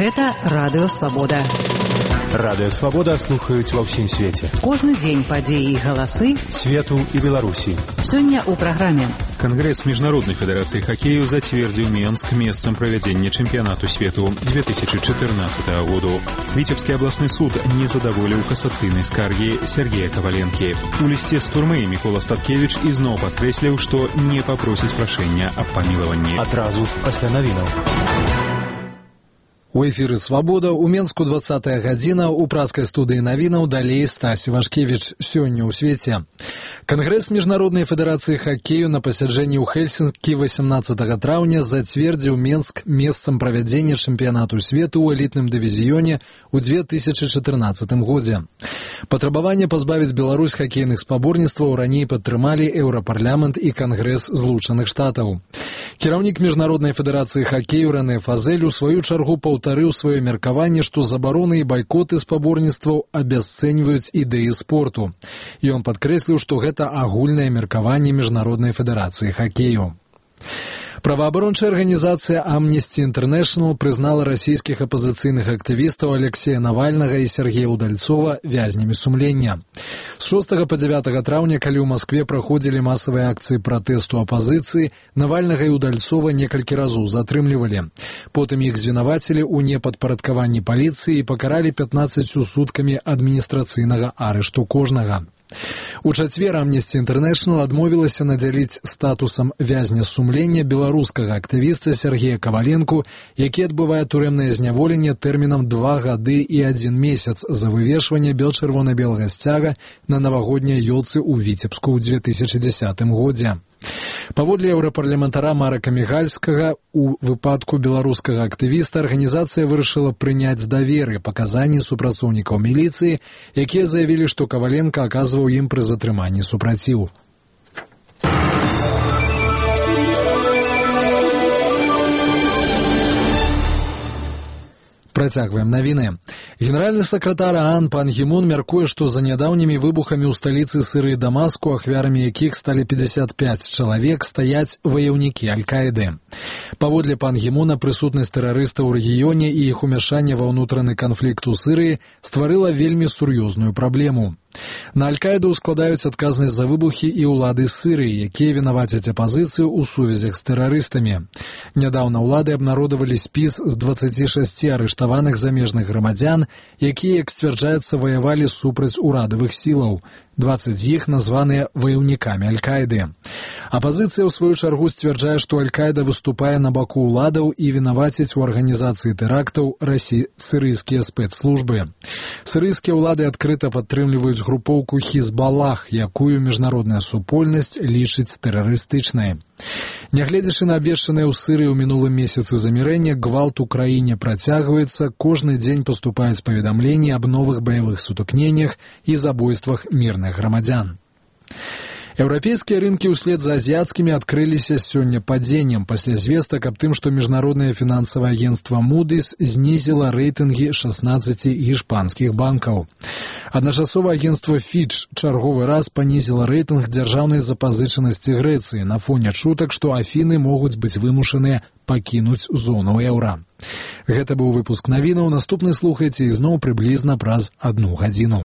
Гэта Радыё Свабода. Радыё Свабода слухаюць ва ўсім свеце. Кожны дзень падзеі і галасы свету і Беларусі. Сёння ў праграме. Кангрэс Міжнароднай федэрацыі хакею зацвердзіў Менск месцам правядзення чэмпіянату свету 2014 году. Віцебскі абласны суд не задаволіў касацыйнай скаргі Сергея Каваленкі. У лісце з турмы Мікола Статкевіч ізноў падкрэсліў, што не папросіць прашэння аб памілаванні. Адразу пасля навінаў. У эфіры «Свабода» у Менску 20-я гадзіна, у праскай студыі навінаў далей Стась Івашкевіч. Сёння ў свеце. Кангрэс Міжнароднай федэрацыі хакею на пасяджэнні ў Хельсінкі 18 траўня зацвердзіў Менск месцам правядзення чэмпіянату свету ў элітным дывізіёне ў 2014 годзе. Патрабаванне пазбавіць Беларусь хакейных спаборніцтваў раней падтрымалі Еўрапарламент і Кангрэс Злучаных Штатаў. Кіраўнік Міжнароднай федэрацыі хакею Рэне Фазель у сваю чаргу паўтарыў сваё меркаванне, што забароны і байкоты спаборніцтваў абясцэньваюць ідэі спорту. Ён падкрэсліў, што гэта агульнае меркаванне Міжнароднай федэрацыі хакею. Праваабарончая арганізацыя Amnesty International прызнала расійскіх апазіцыйных актывістаў Алексея Навальнага і Сергея Удальцова вязнямі сумлення. З 6 па 9 траўня, калі ў Маскве праходзілі масавыя акцыі пратэсту апазіцыі, Навальнага і Удальцова некалькі разоў затрымлівалі. Потым іх звінавацілі ў непадпарадкаванні паліцыі і пакаралі 15 суткамі адміністрацыйнага арышту кожнага. У чацвер Amnesty International адмовілася надзяліць статусам вязня сумлення беларускага актывіста Сергея Каваленку, які адбывае турэмнае зняволенне тэрмінам 2 гады і 1 месяц за вывешванне бел-чырвона-белага сцяга на навагодняй ёлцы ў Віцебску ў 2010 годзе. Паводле еўрапарламентара Марака Мігальскага, у выпадку беларускага актывіста арганізацыя вырашыла прыняць даверы паказанні супрацоўнікаў міліцыі, якія заявілі, што Каваленка аказваў ім пры затрыманні супраціў. Працягваем навіны. Генеральны сакратар ААН Пан Гі Мун мяркуе, што за нядаўнімі выбухамі ў сталіцы Сырыі Дамаску, ахвярамі якіх сталі 55 чалавек, стаяць ваяўнікі Аль-Каіды. Паводле Пан Гі Муна, прысутнасць тэрарыстаў у рэгіёне і іх умяшанне ва ўнутраны канфлікт у Сырыі стварыла вельмі сур'ёзную праблему. На Аль-Каіду складаюць адказнасць за выбухі і ўлады Сырыі, якія вінавацяць апазіцыю ў сувязях з тэрарыстамі. Нядаўна ўлады абнародавалі спіс з 26 арыштаваных замежных грамадзян, якія, як сцвярджаецца, ваявалі супраць урадавых сілаў. 20 з іх названыя ваяўнікамі Аль-Каіды. Апазіцыя, ў сваю чаргу, сцвярджае, што Аль-Каіда выступае на баку ўладаў і вінаваціць у арганізацыі тэрактаў сырыйскія спецслужбы. Сырыйскія ўлады адкрыта падтрымліваюць групоўку Хізбалах, якую міжнародная супольнасць лічыць тэрарыстычнай. Нягледзячы на абвешчанае ў Сырыі ў минулым месяцы замірэнне, гвалт у краіне працягваецца, кожны дзень паступаюць паведамленні аб новых баявых сутыкненнях і забойствах мірных грамадзян. Еўрапейскія рынкі ўслед за азіяцкімі адкрыліся сёння падзеннем пасля звестак аб тым, што міжнароднае фінансавае агенцтва Moody's знізіла рэйтынгі 16 гішпанскіх банкаў. Адначасова агенцтва Fitch чарговы раз панізіла рэйтынг дзяржаўнай запазычанасці Грэцыі на фоне чутак, што Афіны могуць быць вымушаныя пакінуць зону еўра. Гэта быў выпуск навінаў, наступны слухайце ізноў прыблізна праз 1 гадзіну.